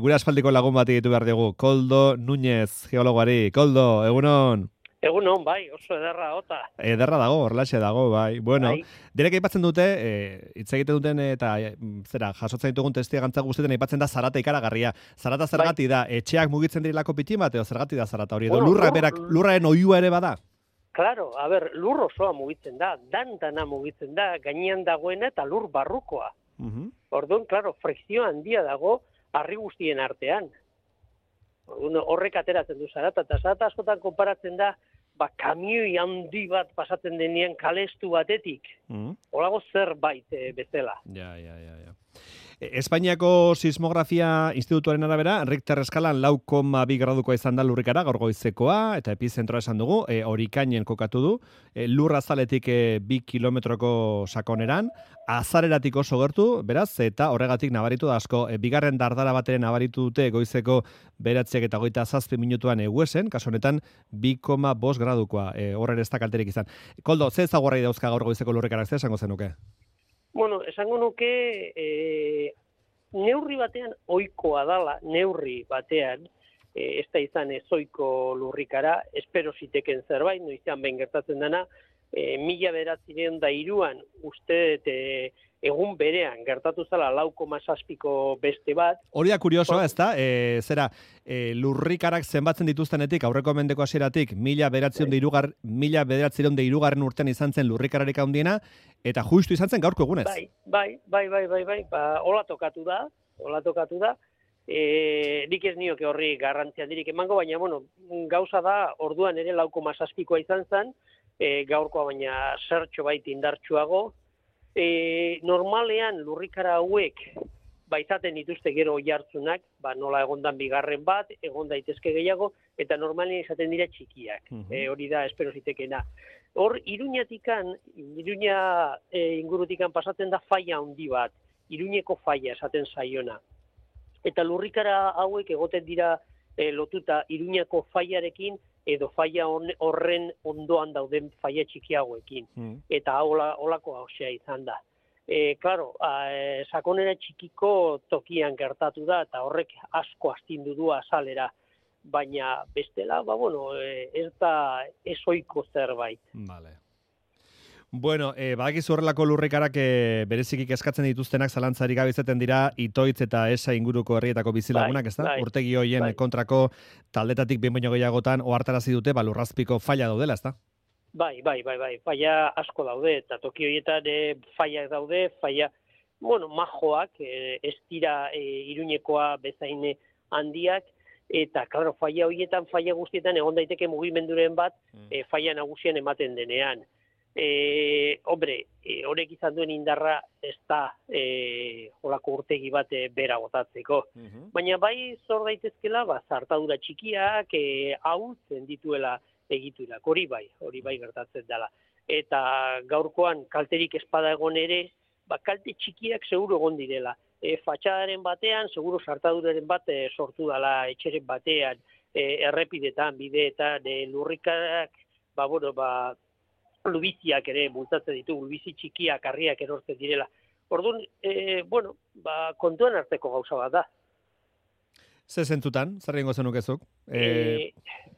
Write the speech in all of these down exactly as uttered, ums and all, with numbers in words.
Gure aspaldiko lagun bat ditu behar dugu, Koldo Núñez, geologoari. Koldo, egunon? Egunon, bai, oso ederra ota. Ederra dago, horrelaxe dago, bai. Bueno, bai. Direk aipatzen dute, hitz egiten duten eta e, zera, jasotzen ditugun testigantza guztietan aipatzen da zarata ikaragarria. Zarata zergati bai. Da, etxeak mugitzen dirilako pitin bat, edo zergati da zarata hori, edo bueno, lurra berak, lurraren oihua ere bada? Claro, a ber, lur osoa mugitzen da, dantana mugitzen da, gainean dagoena eta lur barrukoa. Uh-huh. Orduan, claro, frikzio handia dago harri guztien artean. Orduan, horrek ateratzen du zarata, eta zarata askotan konparatzen da, ba, kamioi handi bat pasatzen denean kalestu batetik. Uh-huh. Olago zerbait e, bezala. Ja, ja, ja, ja. Espainiako Sismografia Institutuaren arabera, Richter eskalan lau koma bi gradukoa izan da lurrikara, gaur goizekoa, eta epizentroa esan dugu, e, horikainen kokatu du, e, lur azaletik e, bi kilometroko sakoneran, azareratik oso gertu, beraz, eta horregatik nabaritu da asko, e, bigarren dardara bateren nabaritu dute goizeko beratziak eta goita zazpi minutuan eguesen, kaso honetan, bi koma bost gradukoa, e, horren ez da kalterik izan. Koldo, ze ezagurrai dauzka gaur goizeko lurrikarak, ze esango zenuke? Bueno, esango nuke e, neurri batean ohikoa dala, neurri batean, e, ez da izan ezoiko lurrikara, espero ziteken zerbait, noizean behin gertatzen dena, e, mila bederatzireun da iruan, uste e, egun berean gertatu zala lau koma zazpiko beste bat. Hori da kuriosoa, ez da? E, zera, e, lurrikarak zenbatzen dituztenetik, aurreko mendeko hasieratik, mila bederatzireun da hirugarren urtean izan zen lurrikararik handiena, eta justu izan zen gaurko egunez. Bai, bai, bai, bai, bai, bai, ba, hola tokatu da, hola tokatu da, e, nik ez nioke horri garrantzia dirik emango, baina, bueno, gauza da, orduan ere lau koma zazpikoa izan zen, e, gaurkoa baina zertxo bait indartsuago. E, normalean lurrikara hauek baizaten dituzte gero jartzunak, ba, nola egondan bigarren bat, egon daitezke gehiago, eta normalean izaten dira txikiak. Uh-huh. E, hori da, espero zitekena. Hor, Iruñatikan, Iruña e, ingurutikan pasatzen da faia handi bat, Iruñeko faia esaten zaiona. Eta lurrikara hauek egoten dira e, lotuta Iruñako faiarekin, edo faia horren ondoan dauden faia txikiagoekin. Mm. Eta hola, holako hausea izan da. E, claro, e, sakonera txikiko tokian gertatu da, eta horrek asko astindu du azalera. Baina bestela, ba, bueno, e, ez da ezoiko zerbait. Vale. Bueno, eh, badakiz horrelako lurrikarak e, berezikik eskatzen dituztenak zalantzarik gabe izaten dira Itoitz eta Esa inguruko herrietako bizilagunak, ez da? Bai, urtegi hoien bai. Kontrako taldetatik behin baino gehiagotan ohartarazi dute ba lurrazpiko faila daudela, ez da? Bai, bai, bai, bai, faila asko daude, eta toki horietan e, failak daude, faila, bueno, majoak, e, ez dira e, Iruñekoa bezain handiak, eta, klaro, faila horietan, faila guztietan egon daiteke mugimenduren bat, mm. e, faila nagusian ematen denean. E, hombre, e, horrek izan duen indarra ez da e, holako urtegi bat e, bera gotatzeko. Uh-huh. Baina bai zor daitezkela, ba, zartadura txikiak e, ahultzen dituela egiturak, hori bai, hori bai gertatzen dela. Eta gaurkoan kalterik espada egon ere, ba, kalte txikiak seguru egon direla. E, fatxadaren batean, seguru zartaduraren bat e, sortu dela etxeren batean, e, errepidetan, bideetan, e, lurrikarak, ba, bueno, ba, lubiziak ere bultatzen ditu, lubizi txikiak, harriak erortzen direla. Orduan, e, bueno, ba, kontuan arteko gauza bat da. Ze zentutan, zer egingo zenukezuk? E... E,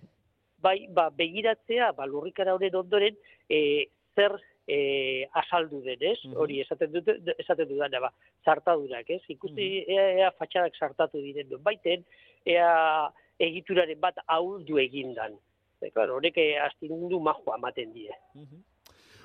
bai, ba, begiratzea, ba, lurrikara horren ondoren, e, zer e, asaldu den, ez? Uh-huh. Hori esaten dut, esaten dudan, ba, zartadurak, ez? Ikusti, uh-huh. ea, ea fatxadak zartatu diren duen baiten, ea egituraren bat ahuldu egindan. Claro, horrek astindu majoa ematen die. Uh-huh.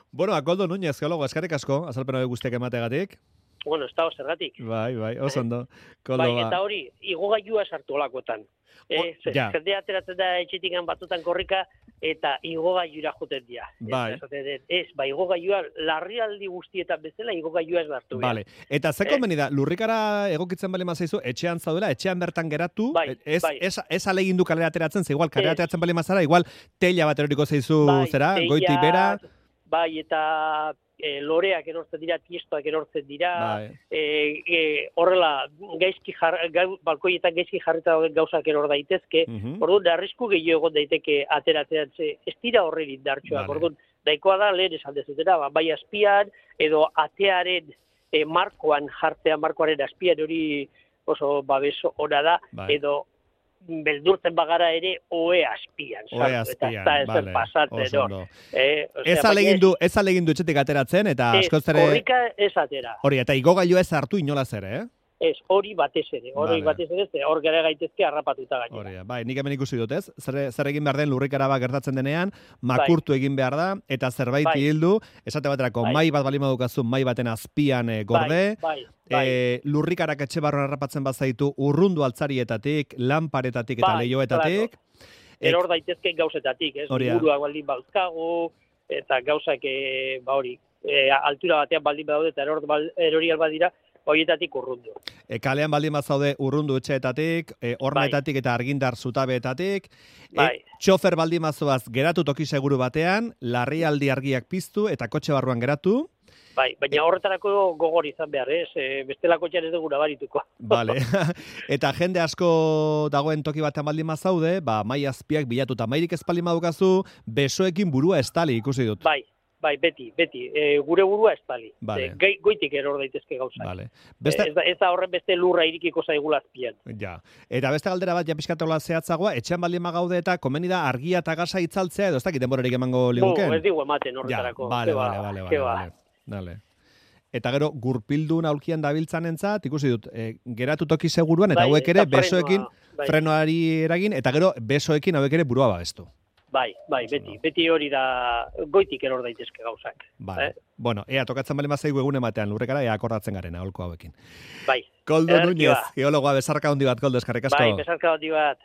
Bueno, Koldo Núñez, geologo, eskerrik asko, azalpena guztiak emategatik. Bueno, ez da zergatik. Bai, bai, oso ondo. Koldo, bai, eta hori, igogailua sartu olakotan. Eh, ja. Jende ateratzen da etxetikan batzutan korrika, eta igogailura joten dira. Bai. Ez, ez, ba, igogailua, larrialdi guztietan bezala, igogailua ez lartu. Vale. Eta ze konbeni da, lurrikara egokitzen bali mazaizu, etxean zaudela, etxean bertan geratu, bai, ez, bai. ez, ez alegindu kalera ateratzen, ze igual kalera ateratzen bali mazara, igual teila bat eroriko zaizu, bai, zera, teia, goitik bera. Bai, eta e, loreak erortzen dira, tiestoak erortzen dira, bai. e, e, horrela, gaizki jar, ga, balkoietan gaizki jarrita gauzak eror daitezke, uh-huh. Orduan, arrisku gehiago egon daiteke ateratzen, ez dira horren indartxoak, vale. Orduan, daikoa da, lehen esan dezutera, ba, bai azpian, edo atearen e, markoan jartzea, markoaren azpian hori oso babes ona da, bai. edo beldurtzen bagara ere oe azpian. Oe azpian, bale, oso ondo. Eh, o sea, ez alegindu, ez alegindu etxetik ateratzen, eta askoz ere... Korrika ez atera. Hori, eta igogailua ez hartu inolaz ere, eh? Ez, hori batez ere, hori Vale. batez ere, hor gara gaitezke harrapatuta gainera. Hori, bai, nik hemen ikusi dut, ez? Zer, zer egin behar den lurrikara bat gertatzen denean, makurtu egin behar da, eta zerbait Bai. hildu, esate baterako, Bai. mai bat bali madukazu, mai baten azpian eh, gorde, Bai, bai, bai. eh, lurrikarak etxe barruan harrapatzen bazaitu, urrundu altzarietatik, lanparetatik eta Bai, leioetatik. Eror daitezke gauzetatik, ez? Hori da. Liburuak baldin bauzkagu, eta gauzak, e, ba hori, e, altura batean baldin badaude, eta eror, bal, erorial badira, horietatik urrundu. E, kalean baldin bazaude urrundu etxeetatik, e, hornetatik eta argindar zutabeetatik, Bai. e, txofer baldin bazoaz geratu toki seguru batean, larrialdi argiak piztu eta kotxe barruan geratu. Bai, baina horretarako gogor izan behar, ez? E, bestelako txan ez dugu nabarituko. Vale. Eta jende asko dagoen toki batean baldin bazaude, ba, mai azpiak bilatuta mairik ez baldin badukazu, besoekin burua estali ikusi dut. Bai, bai, beti, beti. E, gure burua estali. Vale. E, gai, goitik eror daitezke gauzak. Vale. Beste... Ez, da, ez da horren beste lurra irikiko zaigula azpian. Ja. Eta beste galdera bat, ja pixkatola zehatzagoa, etxean baldin bagaude eta komeni da argia eta gasa itzaltzea, edo ez dakit denborarik emango liguken? No, ez digu ematen horretarako. Ja, vale, Ke ba, vale, vale, ke vale, ba. vale. Dale. Eta gero, gurpildun aulkian dabiltzanentzat, ikusi dut, e, geratu toki seguruan, eta Bai, hauek ere eta frenoa, besoekin, bai. frenoari eragin, eta gero besoekin hauek ere burua babestu. Bai, bai, beti, beti hori da goitik eror daitezke gauzak. Vale. Eh? Bueno, ea, tokatzen bali mazaigu egun ematean lurrekara, ea akordatzen garena, holko hauekin. Bai. Koldo Ederki Núñez, ba. geologoa, besarka handi bat, Koldo, eskarrik asko. Bai, besarka handi bat.